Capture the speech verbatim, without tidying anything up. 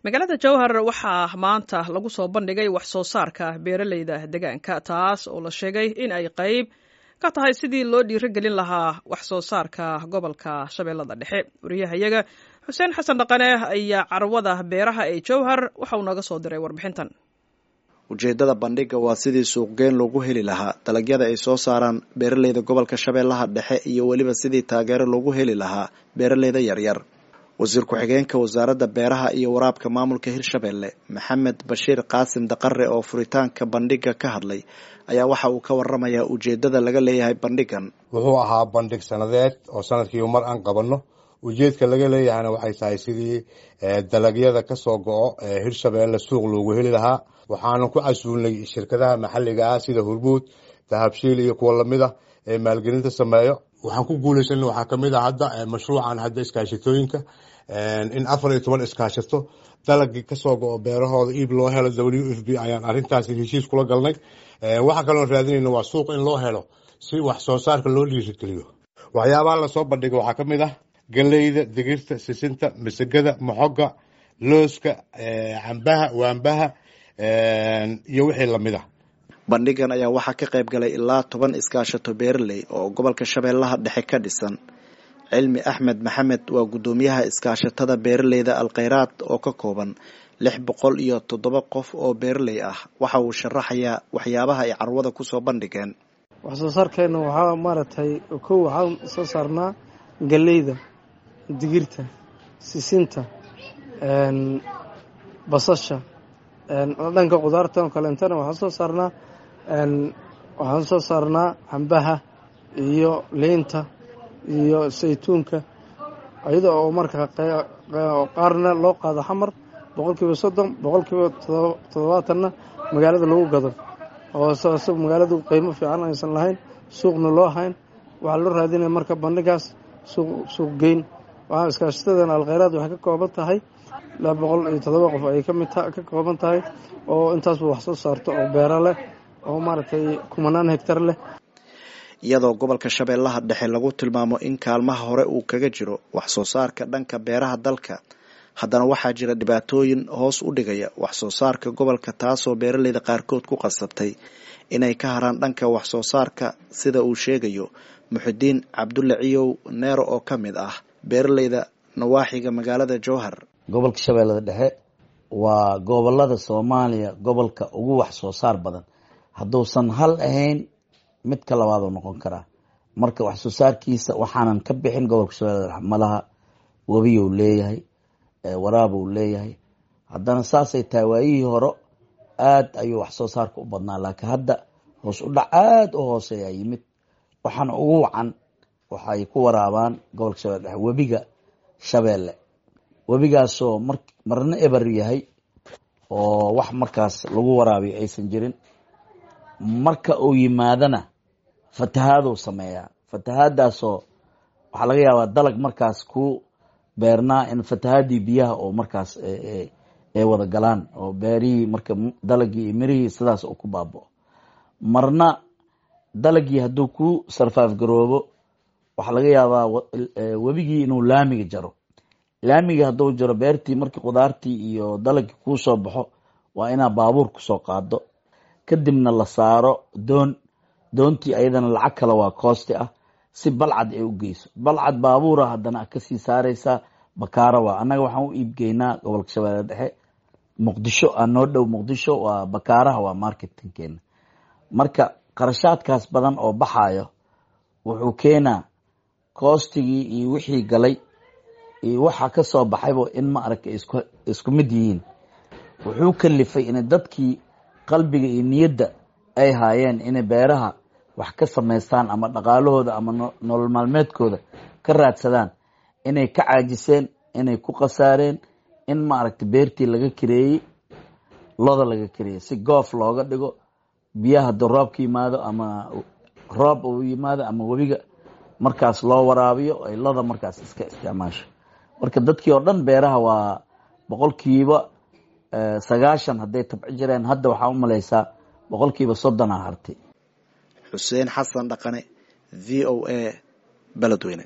Magaalada Jowhar waxaa maanta lagu soo bandhigay wax soo saarka beeraleyda deegaanka, taas oo la sheegay in ay qayb ka tahay sidii loo dhiirigelin lahaa wax soo saarka gobolka Shabeellada Dhexe. Wariyahayaga Xuseen Xasan Dhaqane ayaa carwada beeraha ee Jowhar waxa uu nooga soo diray warbixintan. Ujeedada bandhigga waa sidii suuqgeyn loogu heli lahaa dalagyada ay soo saaraan beeraleyda gobolka Shabeellaha Dhexe iyo weliba sidii taageero loogu heli lahaa beeraleyda yaryar. Wasiir ku-xigeenka wasaaradda beeraha iyo waraabka maamulka Hirshabelle, Maxamed Bashiir Qaasim Daqare, oo furitaanka bandhigga ka hadlay ayaa waxa uu ka waramayaa ujeedada laga leeyahay bandhiggan. Wuxuu ahaa bandhig sanadeed oo sanadkiiba mar aan qabanno. Ujeedka laga leeyahayna waxay tahay sidii dalagyada kasoo go'o ee Hirshabelle suuq loogu heli lahaa. Waxaanu ku casuulnay shirkadaha maxalliga ah sida Hormuud, Dahabshiil iyo kuwa lamid ah ee maalgelinta sameeyo. Waxaan ku guuleysanay waxaa kamid ah hadda mashruucan hadda iskaashatooyinka in afar iyo toban iskaashato dalagii kasoo go'o beerahooda iib loo helo. W F P ayaan arrintaasi heshiis kula galnay. Waxaa kaloon raadinayna waa suuq in loo helo si wax soo saarka loo dhiirigeliyo. Waxyaabaha lasoo bandhigay waxaa kamid ah galeyda, digirta, sisinta, masagada, moxoga, looska, cambaha, waambaha iyo wixii lamid ah. Bandhigan ayaa waxaa ka qayb galay ilaa toban iskaashato beeraley oo gobolka Shabeellaha Dhexe ka dhisan. Cilmi Axmed Maxamed waa guddoomiyaha iskaashatada beeraleyda Alkheyraad oo ka kooban lix boqol iyo toddoba qof oo beeraley ah. Waxa uu sharaxayaa waxyaabaha ay carwada kusoo bandhigeen. Wax soo saarkeena waxaa maaragtay, kow, waxaan soo saarnaa galeyda, digirta, sisinta, basasha. Dhanka khudaarta oo kaleentana waxaan soo saarnaa waxaan soo saarnaa cambaha iyo liinta iyo saytuunka, iyada oo marka qaarna loo qaado Xamar boqolkiiba soddon, boqolkiiba toddobaatanna magaalada lagu gado, oo magaaladu qiimo fiican aysan lahayn, suuqna loo hayn. Waxaa loo raadinaya marka bandhigaas suuq suuq geyn. Waxaa iskaashatadan Alkheyraad waxay ka kooban tahay laba boqol iyo toddoba qof ayay kamid ka kooban tahay, oo intaasba wax soo saarto oo beero leh oo maaragtay kumanaan hegtar leh. Iyadoo gobolka Shabeellaha Dhexe lagu tilmaamo in kaalmaha hore uu kaga jiro wax soo saarka dhanka beeraha dalka, haddana waxaa jira dhibaatooyin hoos u dhigaya wax soo saarka gobolka, taasoo beeraleyda qaarkood ku qasabtay inay ka haraan dhanka wax soo saarka, sida uu sheegayo Muxidiin Cabdulle Ciyow Neero oo ka mid ah beeraleyda nawaaxiga magaalada Jowhar. Gobolka Shabeellada Dhexe waa gobolada Soomaaliya gobolka ugu wax soo saar badan. Hadduusan hal ahayn, midka labaad oo noqon karaa. Marka wax soo saarkiisa waxaanan ka bixin gobolka Shabeellada Dhexe malaha. Webiyuu leeyahay, waraabuu leeyahay. Haddana saasay tahay, waayihii hore aad ayuu wax soo saarka u badnaa, laakiin hadda hoos u dhac aada u hooseeyaa yimid. Waxaana ugu wacan waxay ku waraabaan gobolka Shabeelle Dhexe webiga Shabeelle, webigaasoo mar marna eber yahay oo wax markaas lagu waraabiyo aysan jirin. Marka uu yimaadana fatahaaduu sameeyaa. Fatahaadaasoo waxaa laga yaabaa dalag markaas ku beernaa in fatahaadii biyaha oo markaas ay wada galaan oo beerihii marka dalagii iyo mirihii sidaas uu ku baaba'o. Marna dalagii hadduu ku sarfaaf garoobo, waxaa laga yaabaa webigii inuu laamiga jaro. Laamiga hadduu jaro beertii, markii khudaartii iyo dalagii kuu soo baxo, waa inaa baabuur kusoo qaado, kadibna la saaro doon. Doontii ayadana lacag kale waa cost-i ah si Balcad ay u geyso. Balcad baabuura haddana kasii saareysaa, Bakaara. Waa annaga waxaan u iibgeynaa gobolka Shabeelle Dhexe. Muqdisho aa noo dhow. Muqdisho waa Bakaaraha, waa marketing-keena. Marka qarashaadkaas badan oo baxayo wuxuu keenaa cost-igii iyo wixii galay iyo waxa ka soo baxaybo in ma aragta isku isku mid yihiin. Wuxuu kalifay in dadkii qalbiga iyo niyadda ay haayeen inay beeraha wax ka samaystaan ama dhaqaalahooda ama nolol maalmeedkooda ka raadsadaan inay ka caajiseen, inay ku khasaareen, in ma aragta beertii laga kireeyey, loda laga kireeyey si goof looga dhigo. Biyaha hadduu roobka yimaado ama roob uu yimaado ama webiga markaas loo waraabiyo, ay loda markaas iska isticmaasho. Marka dadkii oo dhan beeraha waa boqolkiiba sagaashan hadday tabci jireen, hadda waxaa u malaysaa boqolkiiba soddon a hartay. Xuseen Xasan Dhaqane, V O A, Beledweyne.